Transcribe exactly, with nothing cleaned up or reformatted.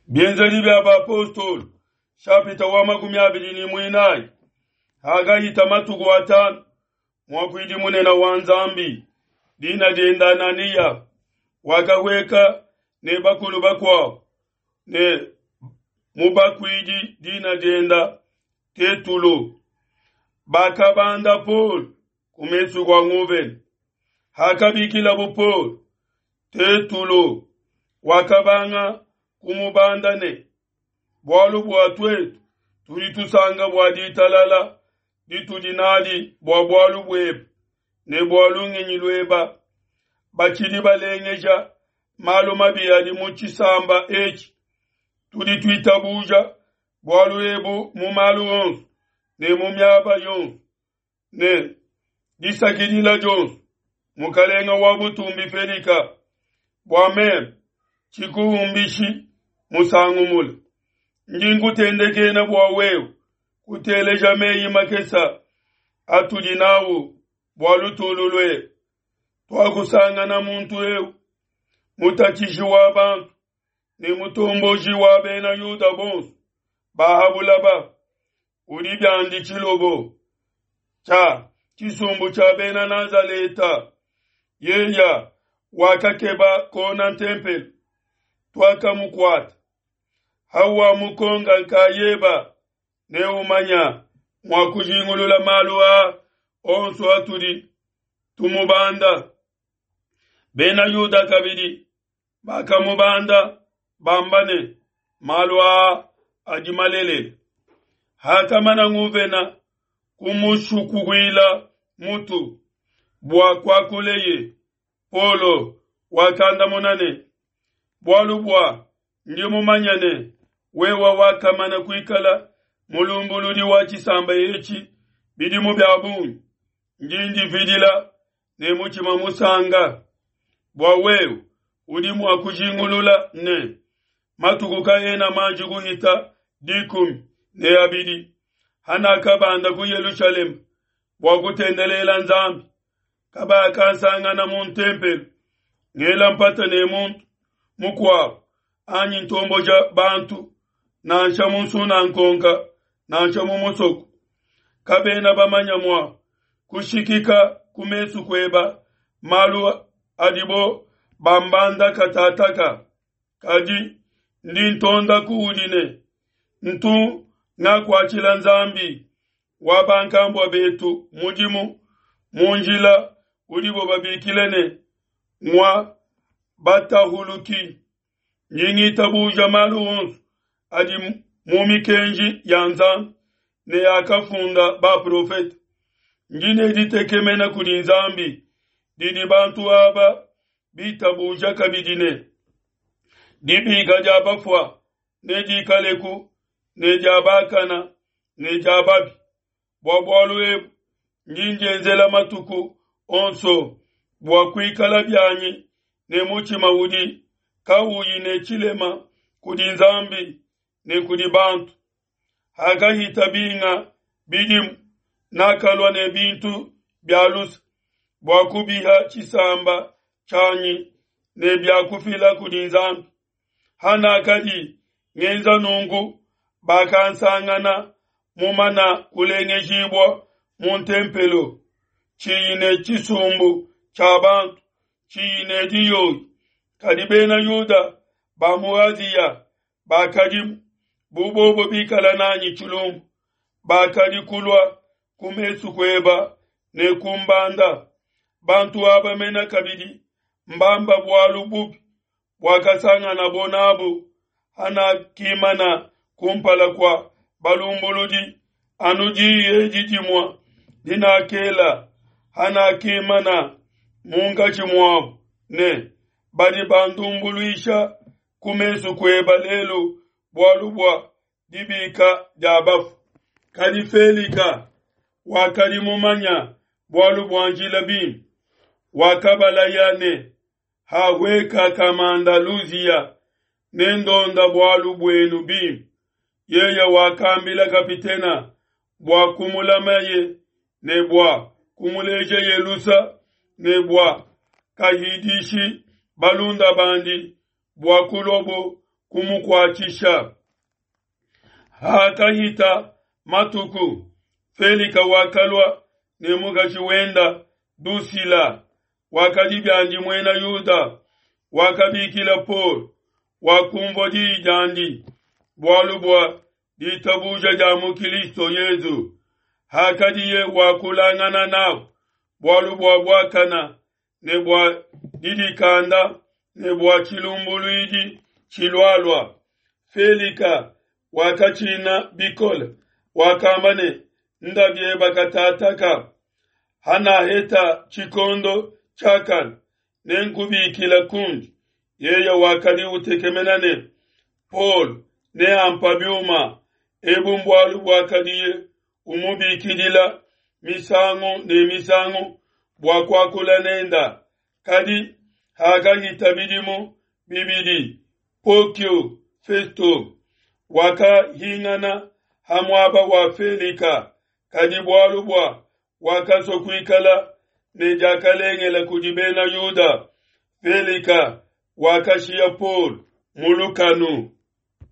Bienzedi bia bapostolo shapita wa makumi abidi ne muinayi hakahita matuku atanu muakuidi munene wa Nzambi dina diende Ananiya wakahueka ne bakulu bakuabo ne mubakuidi dina diende Tetulo bakabanda Paul ku mesu kua nguvena. Hakabikilabo Paul, Tetulo wakabanga kumubanda ne bualu bua tuetu tudi tusanga bua ditalala ditudi nadi bua bualu buebe ne bua lungenyi lueba. Batshidi balengeja malu mabi adi mu tshisamba etshi. Tudi tuitabuja bualu ebu mu malu onso ne mu miaba yonso ne disakidila dionso mukalenga wa butumbi Felika bua meme tshikuhumbishi musangu mule. Ndi nkutendekena bua wewe kuteleja meyi makesa atudi nawu bua lutulu luebe. Twakusangana muntu eu mutatshishi wa bantu ne mutomboji wa bena Yuda bonso bahabulaba udi biandi tshilobo tshia tshisumbu tshia bena Nazaleta. Yeya wakakeba kona ntempelo twakamukwata hawa mukonga nkayeba ne umanya mwa kujingulula malu a onso atudi tumubanda. Bena Yuda kabidi bakamubanda bamba ne malu a adi malelele. Hakamana nguvena kumushukuila mutu bua kwakuleye Polo wakandamuna ne bualu bua ndi mumanya ne wewa wakamana kuikala mulumbuludi wa tshisamba etshi bidimu bia bungi ndi ndividila ne mutima musanga bua wewe udi mua kujingulula ne matuku kaena manji kuhita dikumi ne abidi hanakabanda ku Yerusalemu bua kutendelela Nzambi kabakansangana mu ntempelo ngela mpata ne muntu mukuabo anyi ntomboja bantu nansha mu nsunankonka nansha mu musoko. Kabena bamanya mua kushikika ku mesu kueba malu adibo bambanda katataka. Kadi ndi ntonda kuudi ne ntu ngakuatshila Nzambi wa bankambua betu mudimu mu njila udibo babikile ne ngwa batahuluki. Ndi ngitabuja malu onso adi mu mikenji ya Nzambi ne yakafunda baprofete. Ndi ne ditekemena kudi Nzambi didi bantu aba bitabuja kabidi ne dibika dia bafua ne dikaleku ne dia bakana ne dia babi. Bua bualu ebu ndi ndienzela matuku onso bua kuikala bianyi ne mutima udi kauyi ne tshilema kudi Nzambi ne kudi bantu. Hakahita binga bidimu nakalua ne bintu bia lusa bua kubiha tshisamba tshianyi ne bia kufila kudi Nzambi. Hanakadi ngenza nungu bakansangana mumana kulengejibua mu ntempelo tshiyi ne tshisumbu tshia bantu tshiyi ne diyoyi. Kadi bena Yuda ba mu Aziya bakadi bubobo bikala nanyi tshilumbu bakadi kulua ku mesu kueba ne kumbanda. Bantu aba mena kabidi mbamba bualu bubi bwakasangana bonabu hanakimana kumpala kwa balumbuludi anu diyi didimwa dinakela hanakimana munkatshi muabu ne badi bandumbuluisha ku mesu kueba lelu bualu bua dibika dia bafu. Kadi Felika wakadi mumanya bualu bua njila bimpe wakabalaya ne haweka kamanda Luzia ne ndonda bualu buenu bimpe. Yeye wakambila kapitena bua kumulamaye ne bua kumuleja Yelusa ne bua kahidishi balunda bandi bua kulobo kumukuatshisha. Hakahita matuku, Felika wakalua ne mukashi wenda Dusila, wakadi biandi Muena Yuda, wakabikila Paulo, wakunvua diyi diandi bualu bua ditabuja dia mu Kilisto Yesu. Hakadiye wakulangana nabo bualu bua buakana ne bua didikanda ne bua tshilumbuluidi tshilualua, Felika wakatshina bikole, wakamba ne, Nda biebe katataka, hanaheta tshikondo tshiakane, nenkubikile kundi. Yeye wakadi utekemena ne, Paulo neampa biuma. Ebu mbualu buakadiye umubikidila misangu ne misangu bua kuakula nenda. Kadi hakahita bidimu bibidi, Pokio Festo wakahingana ha muaba wa Felika, kadi bualu bua wakasua kuikala ne diakalengele kudi Bena Yuda, Felika wakashiya Paulo mu lukanu.